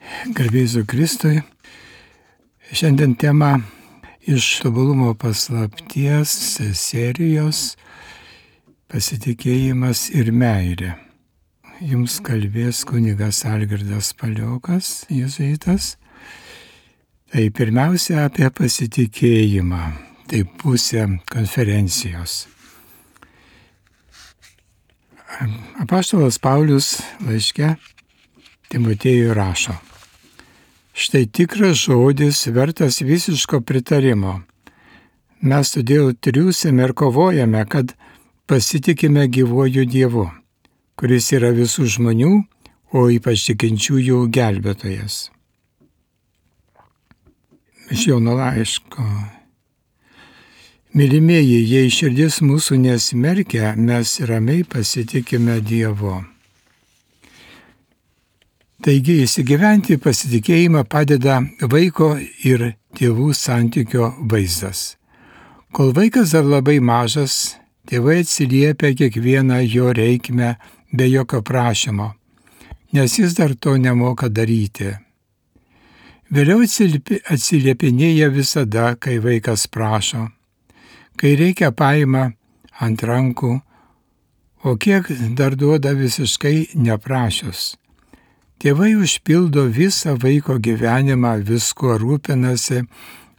Garbė Jėzui Kristui. Šiandien tema iš tobulumo paslapties serijos pasitikėjimas ir meilė. Jums kalbės kunigas Algirdas Paliokas, jėzuitas. Tai pirmiausia apie pasitikėjimą, tai pusė konferencijos. Apaštalas Paulius laiške Timotiejui rašo: štai tikras žodis, vertas visiško pritarimo. Mes todėl triūsiame ir kovojame, kad pasitikime gyvuoju Dievu, kuris yra visų žmonių, o ypač tikinčiųjų gelbėtojas. Iš Jono laiško. Mylimieji, jei širdis mūsų nesmerkia, mes ramiai pasitikime Dievu. Taigi įsigyventi pasitikėjimą padeda vaiko ir tėvų santykio vaizdas. Kol vaikas dar labai mažas, tėvai atsiliepia kiekvieną jo reikmę be jokio prašymo, nes jis dar to nemoka daryti. Vėliau atsiliepinėja visada, kai vaikas prašo, kai reikia paima ant rankų, o kiek dar duoda visiškai neprašius. Tėvai užpildo visą vaiko gyvenimą, viskuo rūpinasi,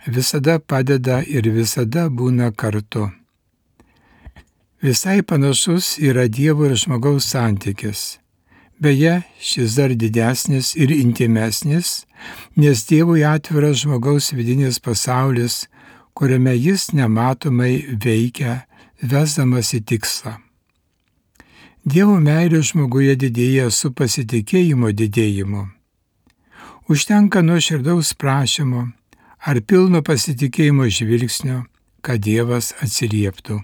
visada padeda ir visada būna kartu. Visai panašus yra Dievo ir žmogaus santykis. Beje, šis dar didesnis ir intimesnis, nes Dievui atviras žmogaus vidinis pasaulis, kuriame jis nematomai veikia, vesdamas į tikslą. Dievo meilė žmoguje didėja su pasitikėjimo didėjimu. Užtenka nuoširdaus prašymo ar pilno pasitikėjimo žvilgsnio, kad Dievas atsilieptų.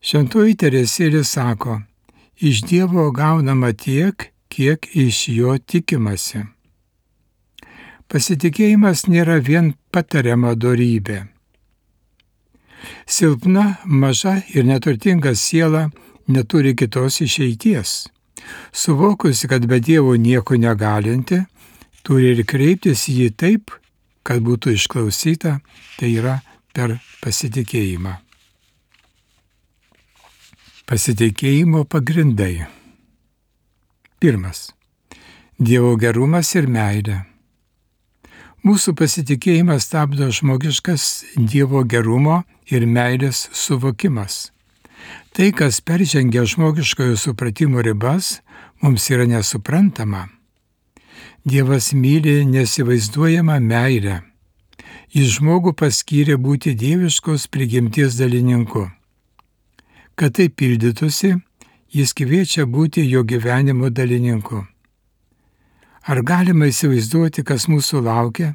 Šventoji Teresėlė sako, iš Dievo gaunama tiek, kiek iš jo tikimasi. Pasitikėjimas nėra vien patariama dorybė. Silpna, maža ir neturtinga siela neturi kitos išeities. Suvokusi, kad be Dievo nieko negalinti, turi ir kreiptis į jį taip, kad būtų išklausyta, tai yra per pasitikėjimą. Pasitikėjimo pagrindai. Pirmas. Dievo gerumas ir meilė. Mūsų pasitikėjimas stabdo žmogiškas Dievo gerumo ir meilės suvokimas. Tai, kas peržengia žmogiškojo supratimo ribas, mums yra nesuprantama. Dievas myli nesivaizduojamą meilę. Jis žmogų paskyrė būti dieviškos prigimties dalininku. Kad tai pildytųsi, jis kviečia būti jo gyvenimo dalininku. Ar galima įsivaizduoti, kas mūsų laukia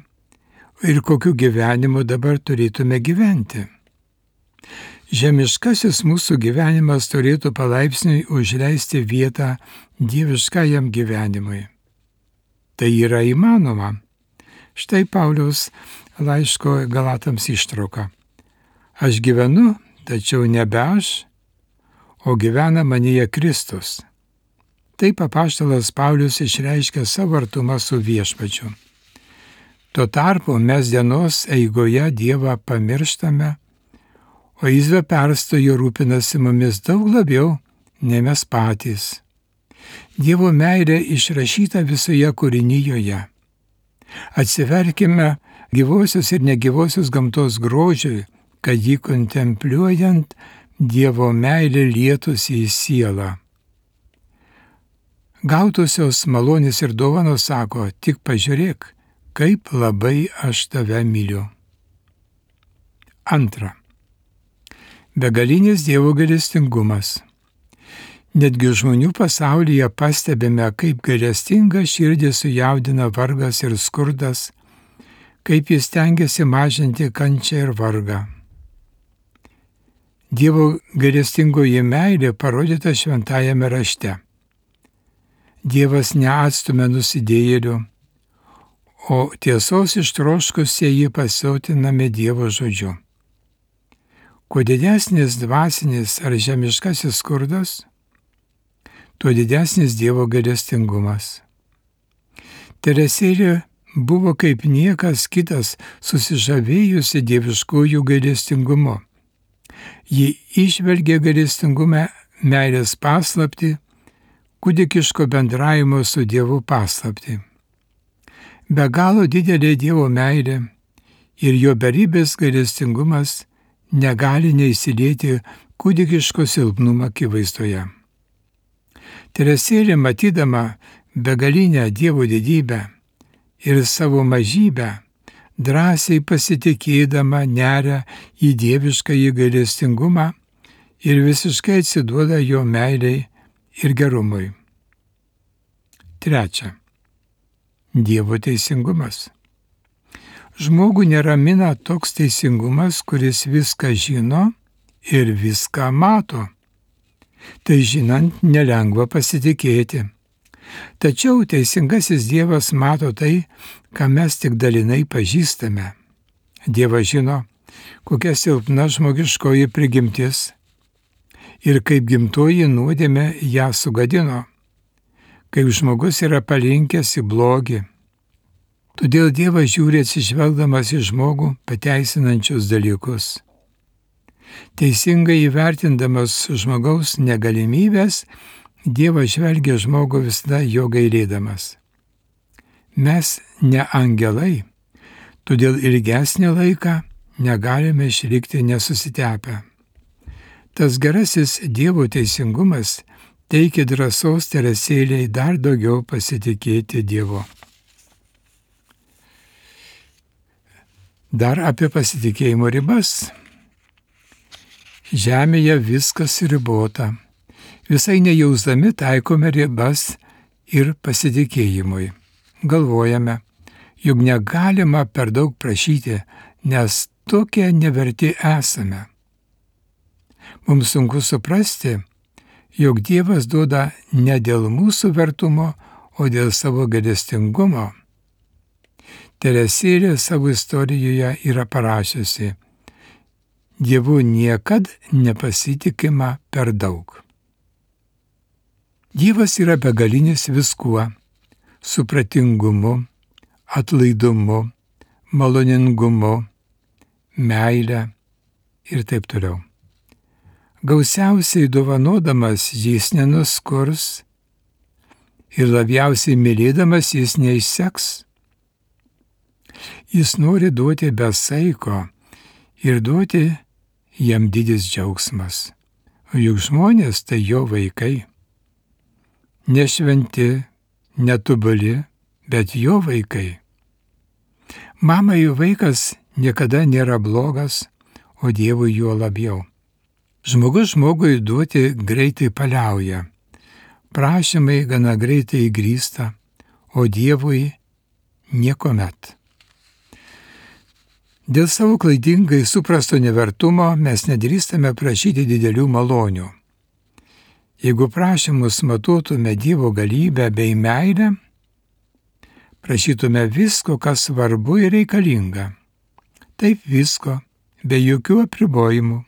ir kokiu gyvenimu dabar turėtume gyventi? Žemiškasis mūsų gyvenimas turėtų palaipsniui užleisti vietą dieviškajam gyvenimui. Tai yra įmanoma. Štai Pauliaus laiško Galatams ištrauka. Aš gyvenu, tačiau nebe aš, o gyvena manyje Kristus. Taip apaštalas Paulius išreiškia savo artumą su Viešpačiu. Tuo tarpu mes dienos eigoje Dievą pamirštame, o jis be perstojo rūpinasi mumis daug labiau, nei mes patys. Dievo meilė išrašyta visoje kūrinijoje. Atsiverkime gyvosios ir negyvosios gamtos grožiui, kad jį kontempliuojant Dievo meilė lietųsi į sielą. Gautosios malonės ir dovanos sako, tik pažiūrėk, kaip labai aš tave myliu. Antra. Begalinis Dievo gailestingumas. Netgi žmonių pasaulyje pastebime, kaip gailestinga širdį sujaudina vargas ir skurdas, kaip jis stengiasi mažinti kančią ir vargą. Dievo gailestingoji meilė parodyta šventajame rašte. Dievas neatstumia nusidėjėlių, o tiesos ištroškusieji pasotinami Dievo žodžiu. Kuo didesnis dvasinis ar žemiškasis skurdas, tuo didesnis Dievo gailestingumas. Teresėlė buvo kaip niekas kitas susižavėjusi dieviškųjų gailestingumu. Ji išvelgė gailestingume meilės paslaptį, kūdikiško bendravimo su Dievu paslaptį. Be galo didelė Dievo meilė ir jo beribės gailestingumas negali neįsilieti kūdikiško silpnumo akivaizdoje. Teresėlė, matydama begalinę Dievo didybę ir savo mažybę, drąsiai pasitikėdama neria į dieviškąjį gailestingumą ir visiškai atsiduoda jo meiliai ir gerumui. 3. Dievo teisingumas. Žmogų neramina toks teisingumas, kuris viską žino ir viską mato. Tai žinant, nelengva pasitikėti. Tačiau teisingasis Dievas mato tai, ką mes tik dalinai pažįstame. Dievas žino, kokia silpna žmogiškoji prigimtis ir kaip gimtoji nuodėmė ją sugadino, kaip žmogus yra palinkęs į blogį. Todėl Dievas žiūri atsižvelgdamas į žmogų pateisinančius dalykus. Teisingai įvertindamas žmogaus negalimybės, Dievas žvelgia žmogų visada jo gailėdamas. Mes ne angelai, todėl ilgesnį laiką negalime išlikti nesusitepę. Tas gerasis Dievo teisingumas teikia drąsos Teresėlei dar daugiau pasitikėti Dievu. Dar apie pasitikėjimo ribas. Žemėje viskas ribota. Visai nejausdami taikome ribas ir pasitikėjimui. Galvojame, jog negalima per daug prašyti, nes tokie neverti esame. Mums sunku suprasti, jog Dievas duoda ne dėl mūsų vertumo, o dėl savo gailestingumo. Teresėlė savo istorijoje yra parašiusi: Dievu niekad nepasitikima per daug. Dievas yra begalinis viskuo - supratingumu, atlaidumu, maloningumu, meile ir taip toliau. Gausiausiai dovanodamas jis nenuskurs ir labiausiai mylėdamas jis neišseks. Jis nori duoti be saiko ir duoti jam didis džiaugsmas, o juk žmonės tai jo vaikai. Nešventi, netobuli, bet jo vaikai. Mamai vaikas niekada nėra blogas, o Dievui juo labiau. Žmogus žmogui duoti greitai paliauja, prašymai gana greitai įgrįsta, o Dievui niekuomet. Dėl savo klaidingai suprasto nevertumo mes nedrįstame prašyti didelių malonių. Jeigu prašymus matuotume Dievo galybę bei meilę, prašytume visko, kas svarbu ir reikalinga. Taip visko, be jokių apribojimų.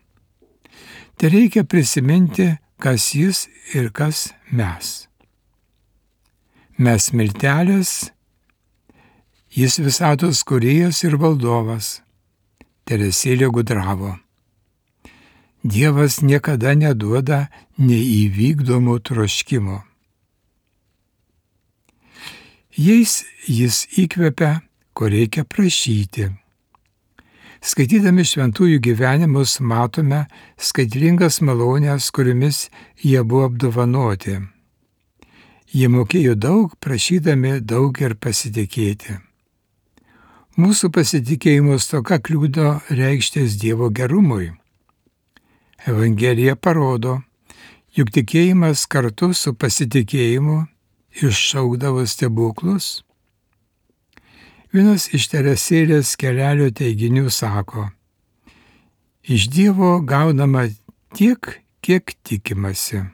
Tai reikia prisiminti, kas jis ir kas mes. Mes miltelės, jis visatos kūrėjas ir valdovas. Teresėlė gudravo. Dievas niekada neduoda neįvykdomų troškimų. Jais jis įkvepia, ko reikia prašyti. Skaitydami šventųjų gyvenimus matome skaitlingas malonės, kuriomis jie buvo apdovanoti. Jie mokėjo daug, prašydami daug ir pasitikėti. Mūsų pasitikėjimo stoka kliudo reikštis Dievo gerumui. Evangelija parodo, juk tikėjimas kartu su pasitikėjimu iššaukdavo stebuklus. Vienas iš Teresėlės kelelio teiginių sako: iš Dievo gaunama tiek, kiek tikimasi.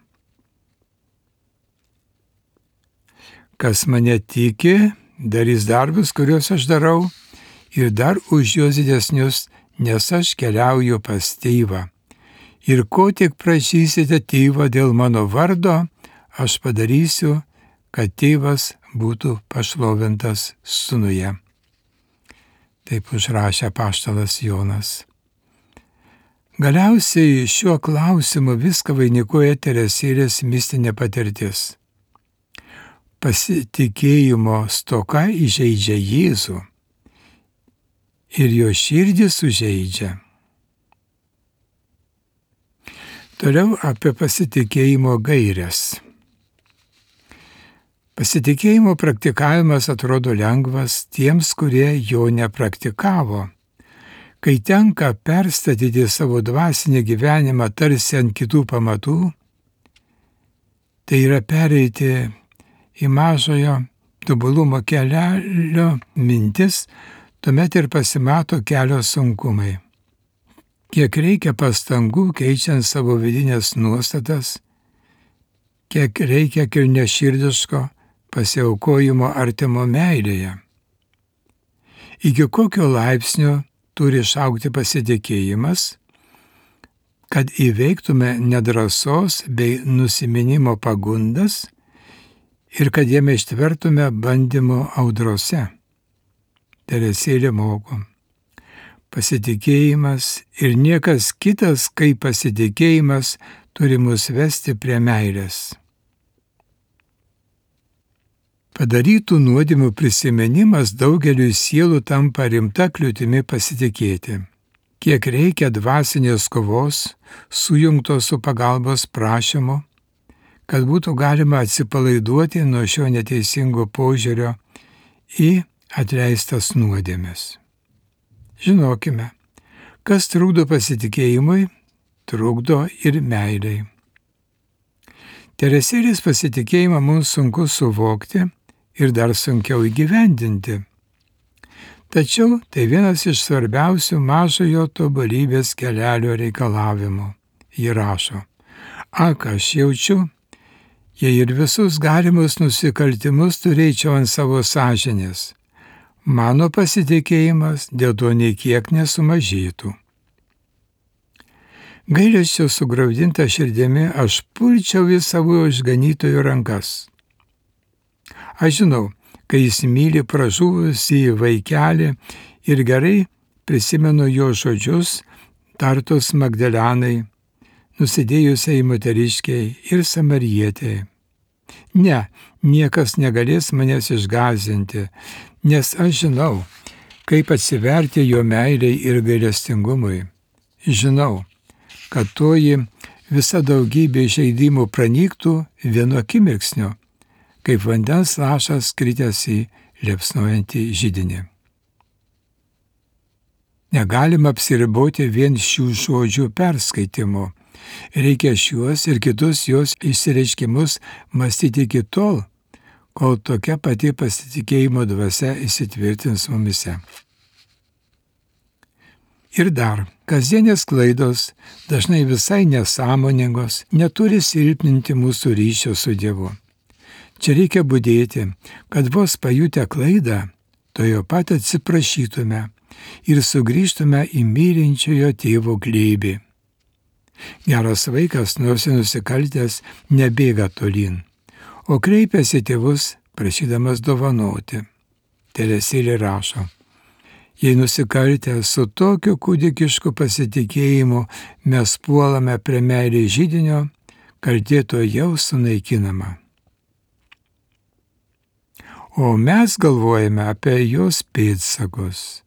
Kas mane tiki, darys darbus, kuriuos aš darau, ir dar už juos didesnius, nes aš keliauju pas Tėvą. Ir ko tik prašysite Tėvą dėl mano vardo, aš padarysiu, kad Tėvas būtų pašlovintas sūnuje. Taip užrašė apaštalas Jonas. Galiausiai šiuo klausimu viską vainikuoja Teresėlės mistinė patirtis. Pasitikėjimo stoka įžeidžia Jėzų ir jo širdį sužeidžia. Toliau apie pasitikėjimo gaires. Pasitikėjimo praktikavimas atrodo lengvas tiems, kurie jo nepraktikavo. Kai tenka perstatyti savo dvasinį gyvenimą tarsi ant kitų pamatų, tai yra pereiti į mažojo tobulumo kelio mintis, tuomet ir pasimato kelio sunkumai. Kiek reikia pastangų keičiant savo vidinės nuostatas, kiek reikia kilniaširdiško pasiaukojimo artimo meilėje. Iki kokio laipsnio turi išaugti pasitikėjimas, kad įveiktume nedrąsos bei nusiminimo pagundas ir kad jame ištvertume bandymo audrose. Teresėlė moko. Pasitikėjimas ir niekas kitas kaip pasitikėjimas turi mus vesti prie meilės. Padarytų nuodėmių prisiminimas daugeliui sielų tampa rimta kliūtimi pasitikėti. Kiek reikia dvasinės kovos, sujungtos su pagalbos prašymu, kad būtų galima atsipalaiduoti nuo šio neteisingo požiūrio į atleistas nuodėmes. Žinokime, kas trukdo pasitikėjimui, trukdo ir meiliai. Teresėlės pasitikėjimą mums sunku suvokti ir dar sunkiau įgyvendinti. Tačiau tai vienas iš svarbiausių mažojo tobulybės kelelio reikalavimų. Ji rašo, ak, aš jaučiu, jei ir visus galimus nusikaltimus turėčiau ant savo sąžinės, mano pasitikėjimas dėl to nei kiek nesumažėtų. Gailesčio sugraudinta širdimi aš pulčiau į savo išganytojo rankas. Aš žinau, kai jis myli pražuvusį vaikelį ir gerai prisimenu jo žodžius, tartus Magdalenai, nusidėjusiai moteriškiai ir samarietei. Ne, niekas negalės manęs išgąsdinti, nes aš žinau, kaip atsiverti jo meiliai ir gailestingumui. Žinau, kad toji visa daugybė žaidimų pranyktų vienu akimirksniu, kaip vandens lašas kritęs į liepsnojantį židinį. Negalima apsiriboti vien šių žodžių perskaitimu. Reikia šiuos ir kitus jos išsireiškimus mąstyti iki tol, kol tokia pati pasitikėjimo dvasia įsitvirtins mumise. Ir dar, kasdienės klaidos, dažnai visai nesąmoningos, neturi silpninti mūsų ryšio su Dievu. Čia reikia budėti, kad vos pajutę klaidą, tojo pat atsiprašytume ir sugrįžtume į mylinčiojo tėvo glėbį. Geras vaikas, nors nusikaltęs, nebėga tolyn, o kreipiasi tėvus, prašydamas dovanoti. Teresėlė rašo, jei nusikaltę su tokiu kūdikišku pasitikėjimu mes puolame prie meilės židinio, kaltė to jau sunaikinama. O mes galvojame apie jos pėdsakus.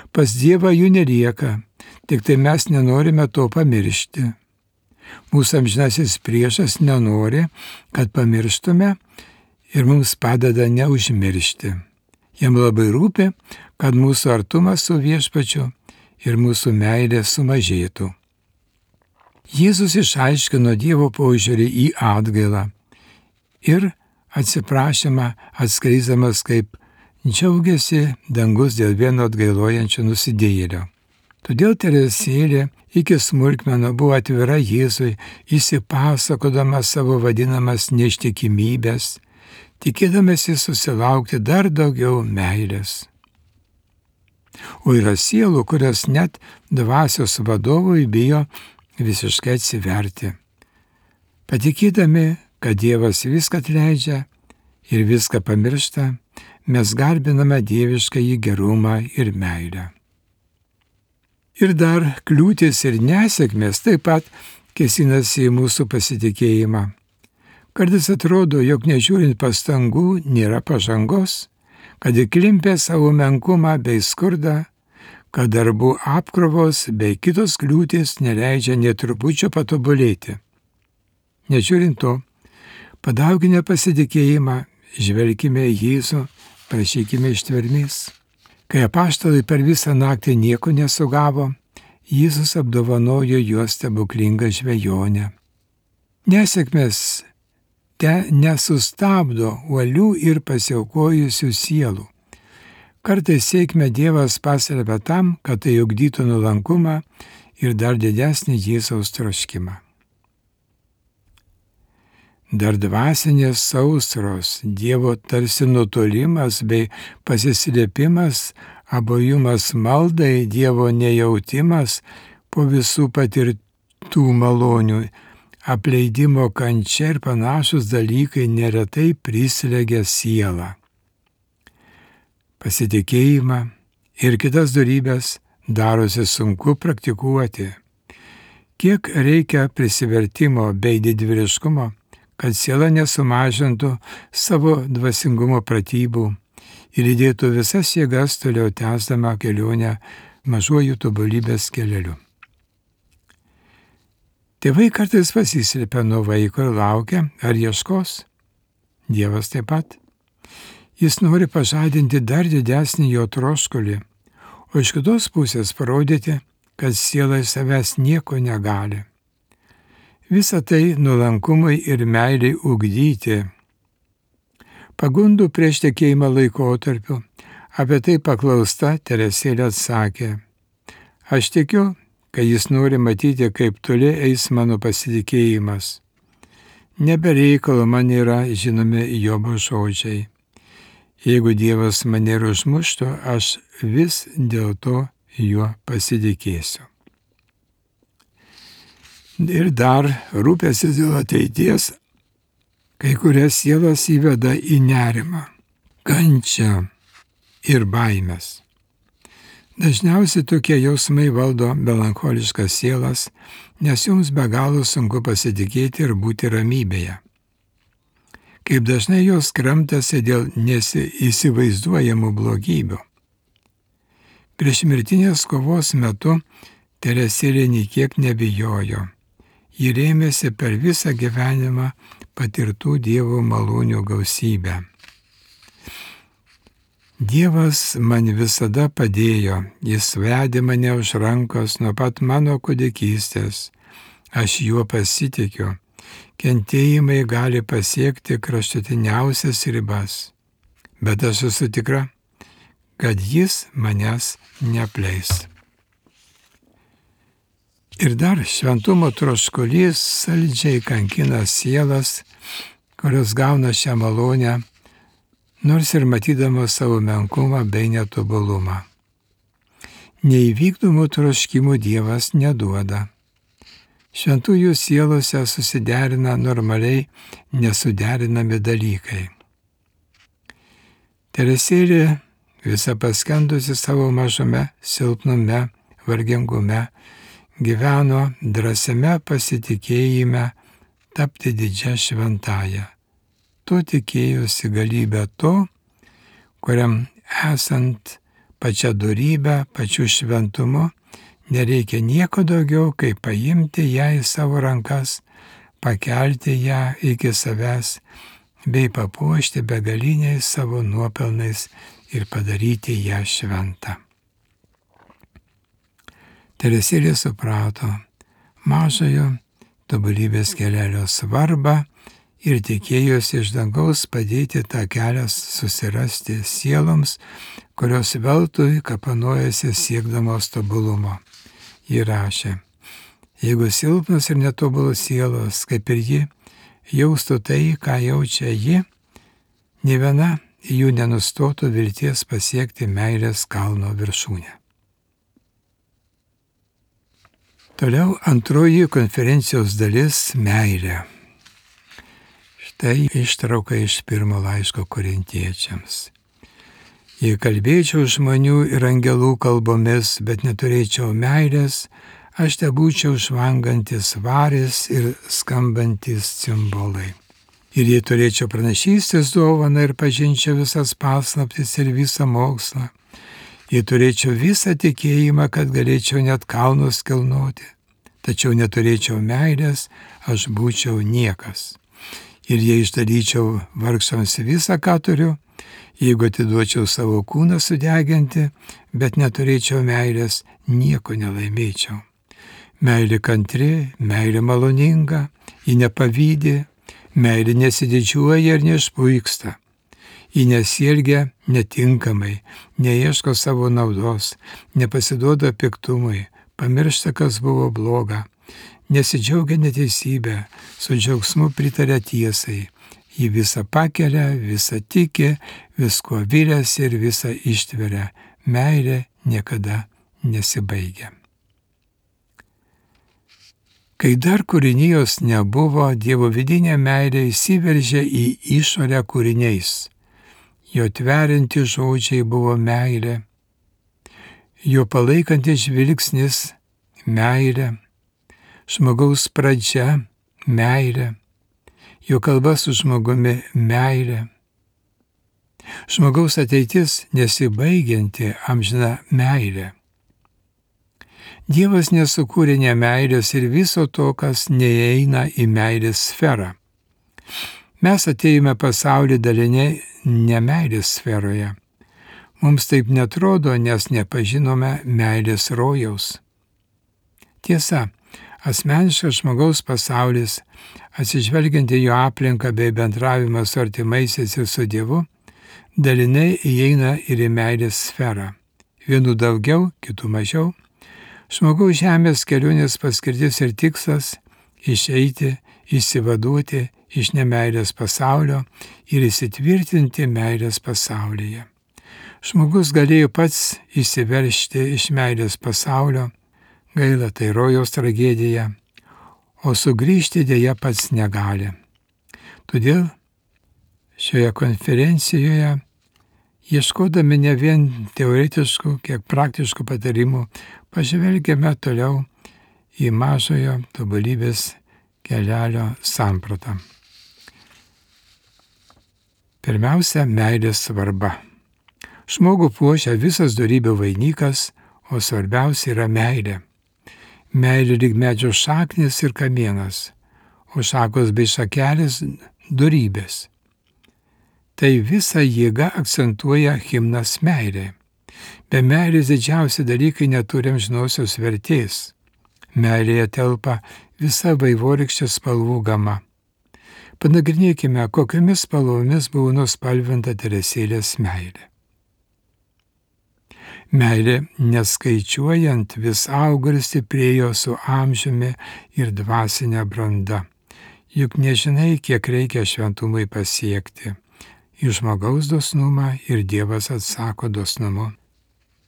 Pas Dievą jų nelieka, tik tai mes nenorime to pamiršti. Mūsų amžinasis priešas nenori, kad pamirštume ir mums padeda neužmiršti. Jam labai rūpi, kad mūsų artumas su Viešpačiu ir mūsų meilė sumažėtų. Jėzus išaiškino Dievo požiūrį į atgailą ir atsiprašymą atskleisdamas, kaip džiaugiasi dangus dėl vieno atgailojančio nusidėjėlio. Todėl Teresėlė iki smulkmenų buvo atvira Jėzui, įsipasakodama savo vadinamas neištikimybės, tikėdamasi susilaukti dar daugiau meilės. O yra sielų, kurios net dvasios vadovui bijo visiškai atsiverti. Patikėdami, kad Dievas viską atleidžia ir viską pamiršta, mes garbiname dieviškąjį gerumą ir meilę. Ir dar kliūtis ir nesėkmės taip pat kėsinasi į mūsų pasitikėjimą. Kartais atrodo, jog nežiūrint pastangų nėra pažangos, kad įklimpę savo menkumą bei skurdą, kad darbų apkrovos bei kitos kliūtis neleidžia nė trupučio patobulėti. Nežiūrint to, padauginę pasitikėjimą, žvelkime į Jėzų, prašykime ištvermės. Kai apaštalai per visą naktį nieko nesugavo, Jėzus apdovanojo juos stebuklingą žvejonę. Nesėkmės te nesustabdo uolių ir pasiaukojusių sielų. Kartais sėkmę Dievas paslepia tam, kad tai ugdytų nuolankumą ir dar didesnį Jėzaus troškimą. Dar dvasinės sausros, Dievo tarsi nutolimas bei pasislėpimas, abuojumas maldai, Dievo nejautimas po visų patirtų malonių, apleidimo kančia ir panašus dalykai neretai prislegia sielą. Pasitikėjimą ir kitas dorybes darosi sunku praktikuoti. Kiek reikia prisivertimo bei didvyriškumo, kad siela nesumažintų savo dvasingumo pratybų ir įdėtų visas jėgas toliau tęsdama kelionę mažuoju tobulybės keleliu. Tėvai kartais pasislėpia nuo vaiko ir laukia, ar ieškos. Dievas taip pat. Jis nori pažadinti dar didesnį jo troškulį, o iš kitos pusės parodyti, kad siela iš savęs nieko negali. Visą tai nuolankumui ir meiliai ugdyti. Pagundų prieš tekėjimą laikotarpiu apie tai paklausta Teresėlė atsakė: Aš tikiu, kad jis nori matyti, kaip toli eis mano pasitikėjimas. Nebereikalo man yra žinomi Jobo žodžiai. Jeigu Dievas mane ir užmuštų, aš vis dėl to juo pasitikėsiu. Ir dar rūpestis dėl ateities kai kurias sielas įveda į nerimą, kančią ir baimės. Dažniausiai tokie jausmai valdo melancholiškas sielas, nes joms be galo sunku pasitikėti ir būti ramybėje. Kaip dažnai jos kramtasi dėl neįsivaizduojamų blogybių. Prieš mirtinės kovos metu Teresėlė nė kiek nebijojo. Ji rėmėsi per visą gyvenimą patirtų Dievo malonių gausybę. Dievas man visada padėjo, jis vedė mane už rankos nuo pat mano kūdikystės. Aš juo pasitikiu. Kentėjimai gali pasiekti kraštutiniausias ribas, bet aš esu tikra, kad jis manęs neapleis. Ir dar šventumo troškulys saldžiai kankina sielas, kurios gauna šią malonę, nors ir matydamos savo menkumą bei netobulumą. Neįvykdomų troškimų Dievas neduoda. Šventųjų sielose susiderina normaliai nesuderinami dalykai. Teresėlė, visa paskendusi savo mažume, silpnume, vargingume, gyveno drąsiame pasitikėjime tapti didžia šventąja. To tikėjosi galybę to, kuriam esant pačia dorybę, pačiu šventumu, nereikia nieko daugiau, kaip paimti ją į savo rankas, pakelti ją iki savęs, bei papuošti begaliniais savo nuopelnais ir padaryti ją šventą. Teresėlė suprato mažojo tobulybės kelelio svarbą ir tikėjosi iš dangaus padėti tą kelią susirasti sieloms, kurios veltui kapanojasi siekdamos tobulumo. Ji rašė: Jeigu silpnos ir netobulos sielos, kaip ir ji, jaustų tai, ką jaučia ji, nė viena jų nenustotų vilties pasiekti meilės kalno viršūnę. Toliau antroji konferencijos dalis – meilė. Tai ištrauka iš pirmo laiško Korintiečiams. Jei kalbėčiau žmonių ir angelų kalbomis, bet neturėčiau meilės, aš tebūčiau žvangantis varis ir skambantis cimbolai. Ir jei turėčiau pranašystės dovaną ir pažinčiau visas paslaptis ir visą mokslą, jei turėčiau visą tikėjimą, kad galėčiau net kalnus kilnoti, tačiau neturėčiau meilės, aš būčiau niekas. Ir jei išdalyčiau vargšams visą, ką turiu, jeigu atiduočiau savo kūną sudeginti, bet neturėčiau meilės, nieko nelaimėčiau. Meilė kantri, meilė maloninga, ji nepavydi, meilė nesididžiuoja ir neišpuiksta. Ji nesielgia netinkamai, neieško savo naudos, nepasiduoda piktumui, pamiršta, kas buvo bloga, nesidžiaugia neteisybę, su džiaugsmu pritaria tiesai. Ji visą pakelia, visą tiki, visko viliasi ir visą ištveria. Meilė niekada nesibaigia. Kai dar kūrinijos nebuvo, Dievo vidinė meilė įsiveržė į išorę kūriniais. Jo tverianti žodžiai buvo meilė, jo palaikantis žvilgsnis meilė, žmogaus pradžia meilė, jo kalba su žmogumi meilė, žmogaus ateitis nesibaigianti amžina meilė. Dievas nesukūrė nemeilės ir viso to, kas neįeina į meilės sferą. Mes atėjome pasaulį daliniai nemeilės sferoje. Mums taip netrodo, nes nepažinome meilės rojaus. Tiesa, asmeniškas žmogaus pasaulis, atsižvelgiant į jo aplinką bei bendravimą su artimaisiais ir su Dievu, dalinai įeina ir į meilės sferą. Vienų daugiau, kitų mažiau. Žmogaus žemės kelionės paskirtis ir tikslas – išeiti, išsivaduoti iš nemeilės pasaulio ir įsitvirtinti meilės pasaulyje. Žmogus galėjo pats išsiveržti iš meilės pasaulio, gaila tai rojaus tragedija, o sugrįžti dėja pats negali. Todėl šioje konferencijoje, ieškodami ne vien teoretiškų, kiek praktiškų patarimų, pažvelgiame toliau į mažojo tobulybės kelelio sampratą. Pirmiausia, meilės svarba. Žmogų puošia visas dorybių vainikas, o svarbiausia yra meilė. Meilė lyg medžio šaknis ir kamienas, o šakos bei šakelės dorybės. Tai visa jėga akcentuoja himnas meilė. Be meilės didžiausi dalykai neturi amžinosios vertės. Meilėje telpa visa vaivorykštė spalvų gama. Panagrinėkime, kokiamis spalvomis buvo nuspalvinta Teresėlės meilė. Meilė, neskaičiuojant, vis augo ir stiprėjo su amžiumi ir dvasinė branda. Juk nežinai, kiek reikia šventumui pasiekti. Į žmogaus dosnumą ir Dievas atsako dosnumu.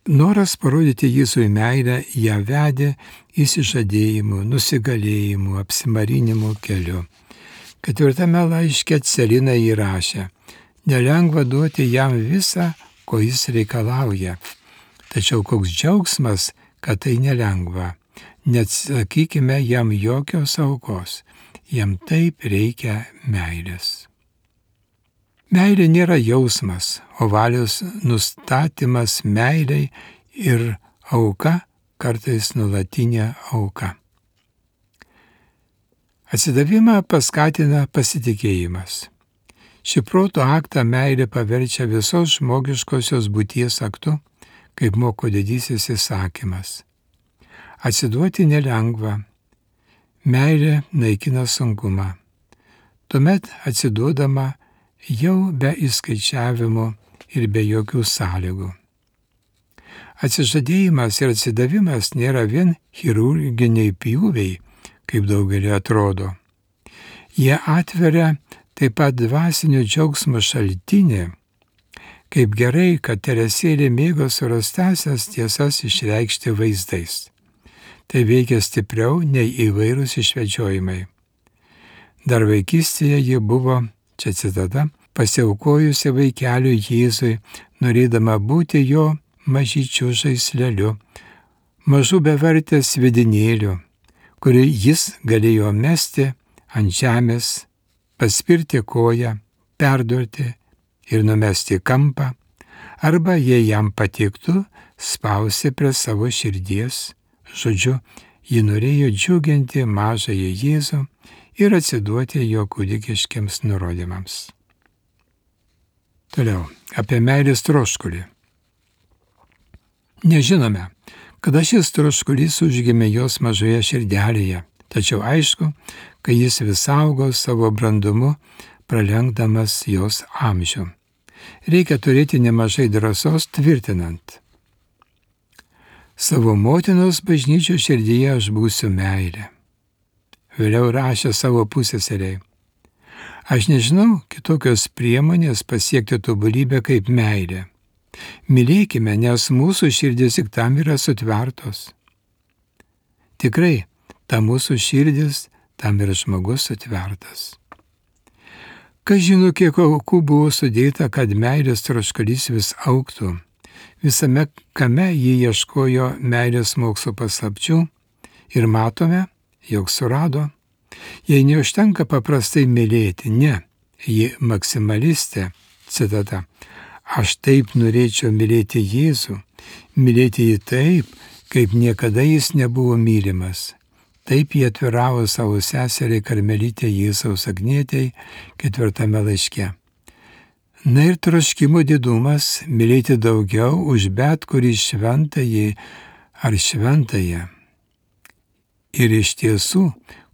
Noras parodyti Jėzui meilę ją vedė įsižadėjimu, nusigalėjimu, apsimarinimu keliu. 4 laiške Celina įrašė: nelengva duoti jam visą, ko jis reikalauja. Tačiau koks džiaugsmas, kad tai nelengva. Neatsakykime jam jokios aukos. Jam taip reikia meilės. Meilė nėra jausmas, o valios nustatymas meiliai ir auka, kartais nuolatinė auka. Atsidavimą paskatina pasitikėjimas. Šį proto aktą meilė paverčia visos žmogiškosios būties aktu, kaip moko didysis įsakymas. Atsiduoti nelengva. Meilė naikina sunkumą. Tuomet atsiduodama jau be įskaičiavimo ir be jokių sąlygų. Atsižadėjimas ir atsidavimas nėra vien chirurginiai pjūviai, kaip daugelį atrodo. Jie atveria taip pat dvasinio džiaugsmo šaltinį. Kaip gerai, kad Teresėlė mėgo surastąsias tiesas išreikšti vaizdais. Tai veikia stipriau nei įvairūs išvedžiojimai. Dar vaikystėje ji buvo čia citata, pasiaukojusi vaikeliui Jėzui, norėdama būti jo mažyčiu žaisleliu, mažų bevertės vidinėliu, kurį jis galėjo mesti ant žemės, paspirti koją, perdurti ir numesti kampą, arba jei jam patiktų, spausti prie savo širdies. Žodžiu, ji norėjo džiuginti mažąjį Jėzų ir atsiduoti jo kūdikiškiams nurodymams. Toliau, apie meilės troškulį. Nežinome, kada šis troškulys užgimė jos mažoje širdelėje, tačiau aišku, kad jis vis augo savo brandumu, pralenkdamas jos amžių. Reikia turėti nemažai drąsos tvirtinant: savo motinos bažnyčios širdyje aš būsiu meilė. Vėliau rašė savo puseseriai: aš nežinau kitokios priemonės pasiekti tobulybę kaip meilė. Mylėkime, nes mūsų širdis tik tam yra sutvertos. Tikrai, ta mūsų širdis, tam yra žmogus sutvertas. Kas žino, kiek aukų buvo sudėta, kad meilės troškulys vis augtų. Visame kame jį ieškojo meilės mokslo paslapčių ir matome, jog surado. Jei neužtenka paprastai mylėti, ne, ji maksimalistė, citata, aš taip norėčiau mylėti Jėzų, mylėti jį taip, kaip niekada jis nebuvo mylimas. Taip jie atviravo savo seseriai Karmelitė Jėzaus Agnietei 4 laiške. Na ir troškimo didumas mylėti daugiau už bet kurį šventąjį ar šventąją. Ir iš tiesų,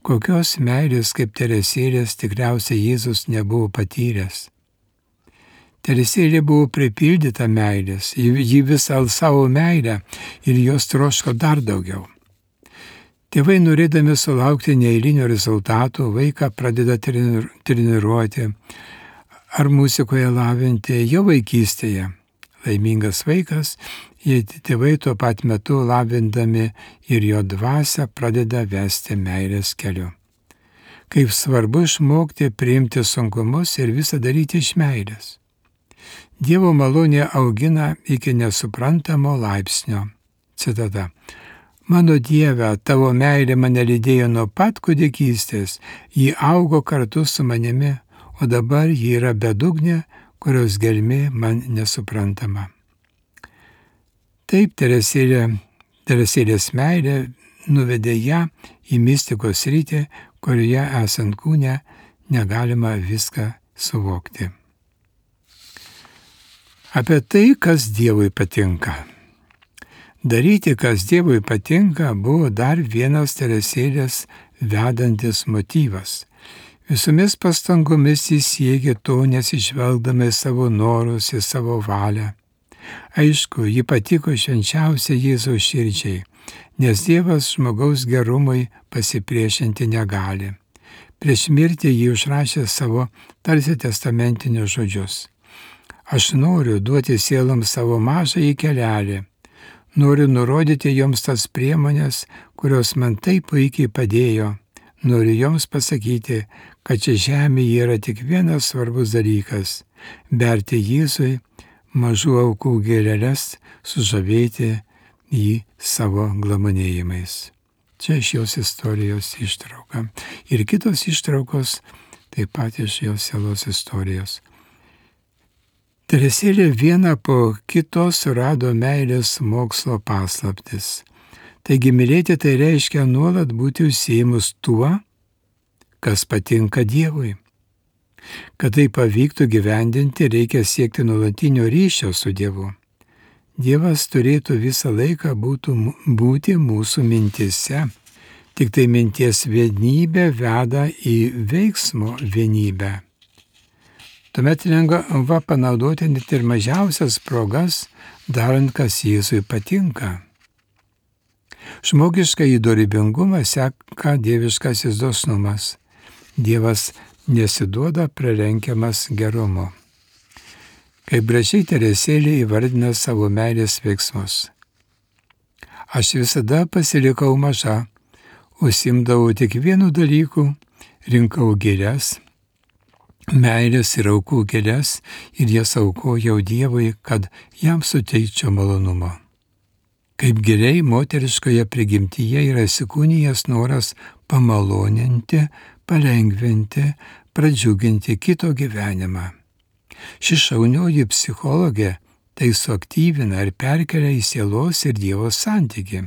kokios meilės kaip Teresėlės tikriausiai Jėzus nebuvo patyręs. Teresėlė buvo pripildyta meilės, ji visą savo meilę ir jos troško dar daugiau. Tėvai, norėdami sulaukti neeilinio rezultato, vaiką pradeda treniruoti ar muzikoje lavinti jau vaikystėje. Laimingas vaikas, jei tėvai tuo pat metu lavindami ir jo dvasią pradeda vesti meilės keliu. Kaip svarbu išmokti priimti sunkumus ir visą daryti iš meilės. Dievo malonė augina iki nesuprantamo laipsnio. Citata. Mano Dieve, tavo meilė mane lydėjo nuo pat kūdikystės, ji augo kartu su manimi, o dabar ji yra bedugnė, kurios gelmė man nesuprantama. Taip Teresėlės meilė nuvedė ją į mistikos sritį, kurioje esant kūne negalima viską suvokti. Apie tai, kas Dievui patinka. Daryti, kas Dievui patinka, buvo dar vienas Teresėlės vedantis motyvas. Visomis pastangomis jis siekė to, nesižvelgdama į savo norus, į savo valią. Aišku, ji patiko švenčiausiai Jėzaus širdžiai, nes Dievas žmogaus gerumui pasipriešinti negali. Prieš mirtį ji užrašė savo tarsi testamentinius žodžius. Aš noriu duoti sieloms savo mažąjį kelelį. Noriu nurodyti joms tas priemonės, kurios man taip puikiai padėjo. Noriu joms pasakyti, kad čia žemėje yra tik vienas svarbus dalykas – berti Jėzui mažų aukų gėleles, sužavėti jį savo glamonėjimais. Čia iš jos istorijos ištrauka. Ir kitos ištraukos taip pat iš jos sielos istorijos. Teresėlė viena po kito surado meilės mokslo paslaptis. Taigi mylėti tai reiškia nuolat būti užsiėmus tuo, kas patinka Dievui. Kad tai pavyktų gyvendinti, reikia siekti nuolatinio ryšio su Dievu. Dievas turėtų visą laiką būti mūsų mintise. Tik tai minties vienybė veda į veiksmo vienybę. Tuomet lengva panaudoti net ir mažiausias progas, darant, kas Jėzui patinka. Žmogišką įdorybingumą seka dieviškasis dosnumas. Dievas nesiduoda pralenkiamas gerumu. Kaip gražiai Teresėlė įvardina savo meilės veiksmus. Aš visada pasilikau maža, užsiimdavau tik vienu dalyku, rinkau gėles, meilės ir aukų gėles ir jas aukojau Dievui, kad jam suteikčiau malonumo. Kaip giliai moteriškoje prigimtyje yra įsikūnijęs noras pamaloninti, palengvinti, pradžiuginti kito gyvenimą. Ši šaunioji psichologė tai suaktyvina ir perkelia į sielos ir Dievo santykį.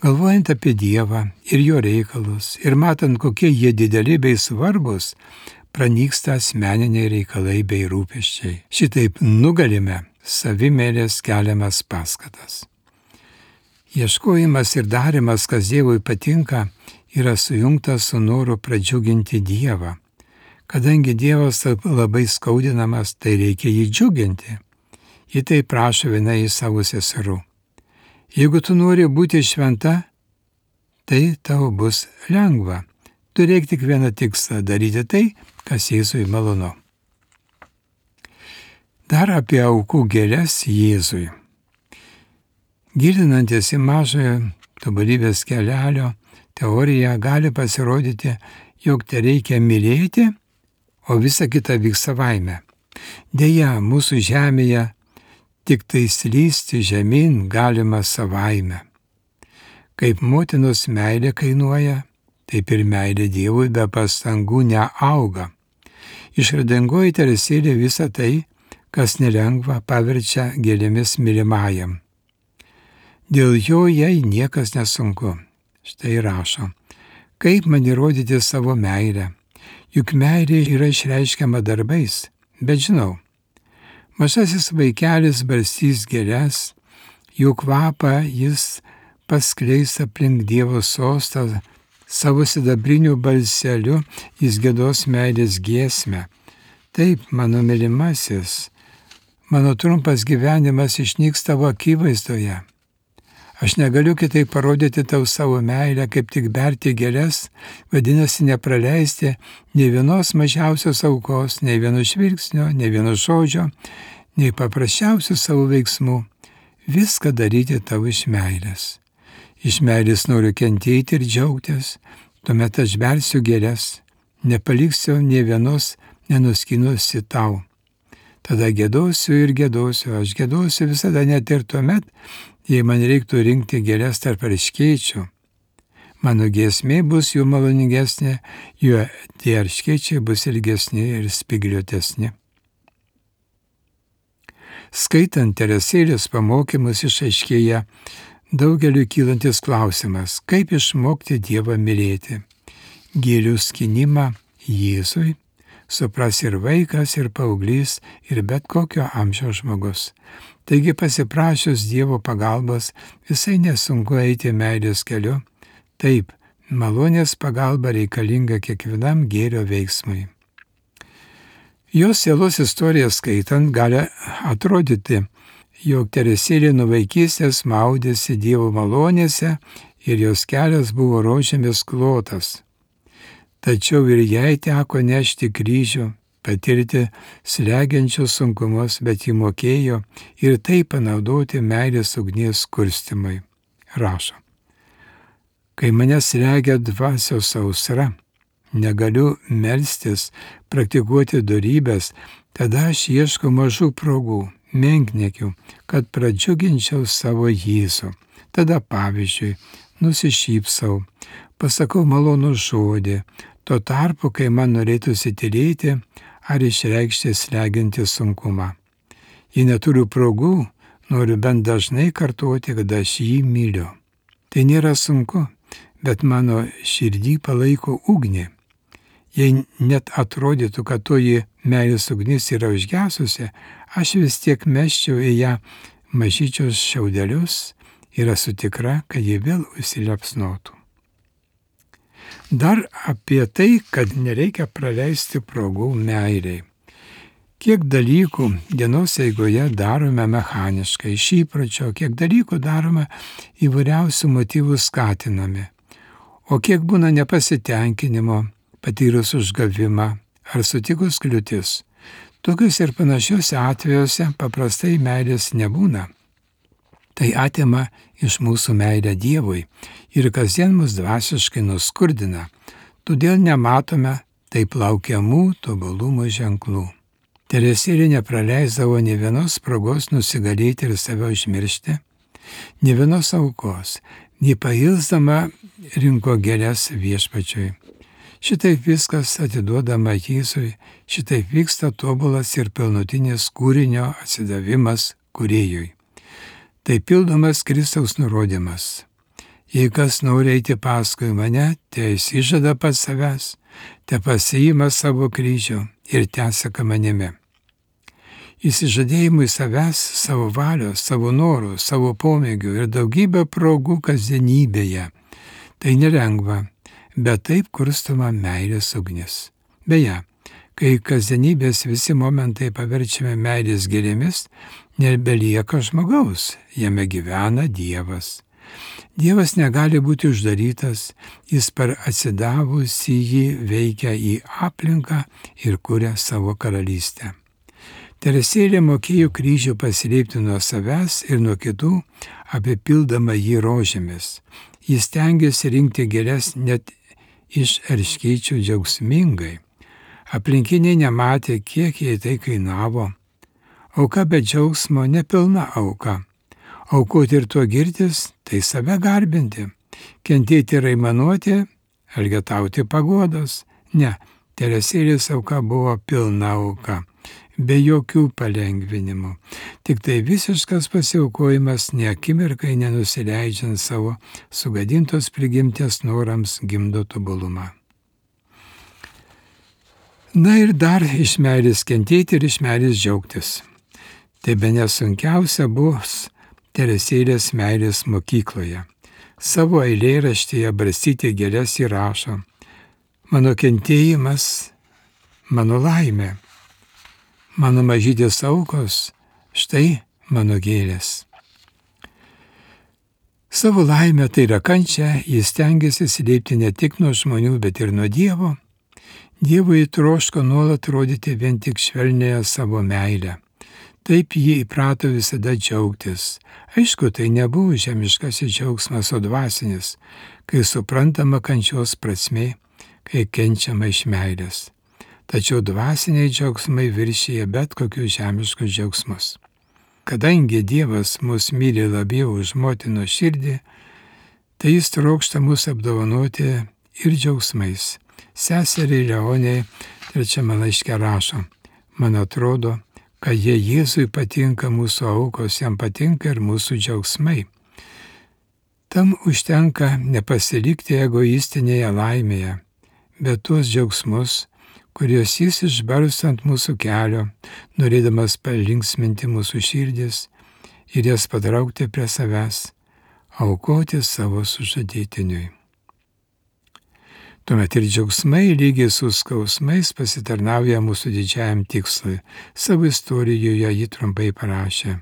Galvojant apie Dievą ir jo reikalus ir matant, kokie jie dideli bei svarbus, pranyksta asmeniniai reikalai bei rūpesčiai. Šitaip nugalime savimėlės keliamas paskatas. Ieškojimas ir darimas, kas Dievui patinka, yra sujungtas su noru pradžiuginti Dievą. Kadangi Dievas labai skaudinamas, tai reikia jį džiuginti. Ji tai prašo viena iš savo seserų. Jeigu tu nori būti šventa, tai tau bus lengva. Turėk tik vieną tikslą – daryti tai, kas Jėzui malonu. Dar apie aukų gėles Jėzui. Gilinantis į mažojo tobulybės kelelio teoriją gali pasirodyti, jog tai reikia mylėti, o visa kita vyks savaime. Deja, mūsų žemėje tik tai slysti žemyn galima savaime. Kaip motinos meilė kainuoja, taip ir meilė Dievui be pastangų neauga. Išradingoji Teresėlė visą tai, kas nelengva, paverčia gėlėmis mylimajam. Dėl jo jai niekas nesunku. Štai rašo, kaip man įrodyti savo meilę, juk meilė yra išreiškiama darbais, bet žinau, mažasis vaikelis barstys gėles, jų kvapą jis paskleis aplink Dievo sostą, savo sidabriniu balseliu jis giedos meilės giesmę. Taip, mano mylimasis, mano trumpas gyvenimas išnyks tavo akivaizdoje. Aš negaliu kitaip parodyti tau savo meilę, kaip tik berti gėles, vadinasi nepraleisti nei vienos mažiausios aukos, nei vieno žvilgsnio, nei vieno žodžio, nei paprasčiausių savo veiksmų. Viską daryti tau iš meilės. Iš meilės noriu kentėti ir džiaugtis, tuomet aš bersiu gėles, nepaliksiu nei vienos nenuskynusi tau. Tada gėdosiu ir gėdosiu, aš gėdosiu visada net ir tuomet, jei man reiktų rinkti gėles tarp erškėčių. Mano giesmė bus jų maloningesnė, jų tie erškėčiai bus ilgesni ir spygliuotesni. Skaitant Teresėlės pamokymus išaiškėja daugeliu kylantis klausimas, kaip išmokti Dievą mylėti. Gėlių skynimą Jėzui supras ir vaikas, ir paauglys, ir bet kokio amžiaus žmogus. Taigi pasiprašius Dievo pagalbos visai nesunku eiti meilės keliu. Taip, malonės pagalba reikalinga kiekvienam gėrio veiksmui. Jos sielos istoriją skaitant gali atrodyti, jog Teresėlė nuo vaikystės maudėsi Dievo malonėse ir jos kelias buvo rožėmis klotas. Tačiau ir jai teko nešti kryžių, patirti slegiančius sunkumus, bet ji mokėjo ir tai panaudoti meilės ugnies kurstymui. Rašo, kai mane slegia dvasios sausra, negaliu melstis, praktikuoti dorybės, tada aš ieškau mažų progų, menkniekių, kad pradžiuginčiau savo Jėzų. Tada pavyzdžiui, nusišypsau, pasakau malonų žodį, tuo tarpu, kai man norėtųsi tylėti ar išreikšti slegiantį sunkumą. Jei neturiu progų, noriu bent dažnai kartoti, kad aš jį myliu. Tai nėra sunku, bet mano širdį palaiko ugnį. Jei net atrodytų, kad toji meilės ugnis yra užgesusi, aš vis tiek mesčiau į ją mažyčius šiaudelius ir esu tikra, kad ji vėl užsiliepsnotų. Dar apie tai, kad nereikia praleisti progų meiliai. Kiek dalykų dienos eigoje darome mechaniškai, iš įpročio, kiek dalykų darome įvairiausių motyvų skatinami, o kiek būna nepasitenkinimo, patyrus užgavimą ar sutikus kliūtis. Tokius ir panašiuose atvejuose paprastai meilės nebūna. Tai atima iš mūsų meilę Dievui ir kasdien mus dvasiškai nuskurdina. Todėl nematome taip laukiamų tobulumo ženklų. Teresėlė nepraleisdavo nė vienos progos nusigalėti ir save užmiršti, nė vienos aukos, nei pailsdama rinko gėles Viešpačiui. Šitaip viskas atiduodama Jėzui, šitaip vyksta tobulas ir pilnutinis kūrinio atsidavimas Kūrėjui. Tai pildomas Kristaus nurodymas. Jei kas nori eiti paskui mane, te išsižada pats savęs, te pasiima savo kryžių ir tęseka manimi. Įsižadėjimui savęs, savo valios, savo norų, savo pomėgių ir daugybę progų kasdienybėje. Tai nelengva, bet taip kurstoma meilės ugnis. Beje, kai kasdienybės visi momentai paverčiame meilės gėlėmis, nebelieka žmogaus, jame gyvena Dievas. Dievas negali būti uždarytas, jis per atsidavusį jį veikia į aplinką ir kuria savo karalystę. Teresėlė mokėjo kryžių paslėpti nuo savęs ir nuo kitų, apipildama jį rožėmis. Jis stengiasi rinkti gėles net iš erškėčių džiaugsmingai. Aplinkiniai nematė, kiek jai tai kainavo. Auka be džiaugsmo nepilna auka. Aukoti ir tuo girtis, tai save garbinti. Kentėti ir aimanuoti, elgetauti paguodos. Ne, Teresėlės auka buvo pilna auka, be jokių palengvinimų. Tik tai visiškas pasiaukojimas, ne akimirkai nenusileidžiant savo sugadintos prigimties norams gimdo tobulumą. Na ir dar iš meilės kentėti ir iš meilės džiaugtis. Tai bene sunkiausia bus Teresėlės meilės mokykloje. Savo eilėraštyje Barstyti gėles įrašo: mano kentėjimas, mano laimė, mano mažytės aukos, štai mano gėlės. Savo laimę, tai yra kančią, jis stengiasi slėpti ne tik nuo žmonių, bet ir nuo Dievo. Dievui troško nuolat rodyti vien tik švelnėje savo meilę. Taip jį įprato visada džiaugtis. Aišku, tai nebuvo žemiškasis džiaugsmas, o dvasinis, kai suprantama kančios prasmė, kai kenčiama iš meilės. Tačiau dvasiniai džiaugsmai viršyje bet kokius žemiškus džiaugsmus. Kadangi Dievas mus myli labiau už motinos širdį, tai jis trokšta mus apdovanoti ir džiaugsmais. Seseriai Leonei 3 laiške rašo: man atrodo, kad jei Jėzui patinka mūsų aukos, jam patinka ir mūsų džiaugsmai. Tam užtenka nepasilikti egoistinėje laimėje, bet tuos džiaugsmus, kuriuos jis išbarsto ant mūsų kelio, norėdamas palinksminti mūsų širdis ir jas patraukti prie savęs, aukoti savo sužadėtiniui. Tuomet ir džiaugsmai lygiai su skausmais pasitarnauja mūsų didžiajam tikslui. Savo istorijoje jį trumpai parašė: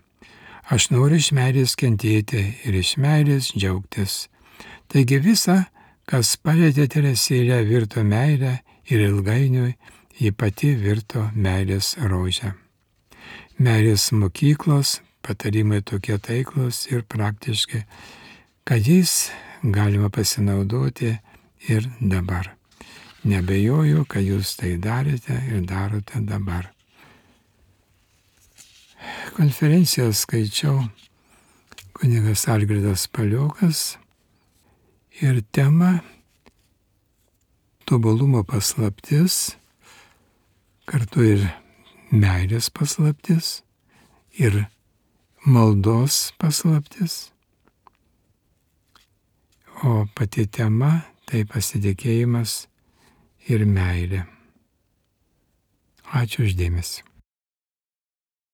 aš noriu iš meilės kentėti ir iš meilės džiaugtis. Taigi visa, kas palietė Teresėlę, virto meilę ir ilgainiui ji pati virto meilės rožę. Meilės mokyklos patarimai tokie taiklus ir praktiški, kad jais galima pasinaudoti ir dabar. Nebejoju, kad jūs tai darėte ir darote dabar. Konferenciją skaičiau kunigas Algirdas Paliokas ir tema tobulumo paslaptis, kartu ir meilės paslaptis ir maldos paslaptis. O pati tema tai pasitikėjimas ir meilė. Ačiū už dėmesį.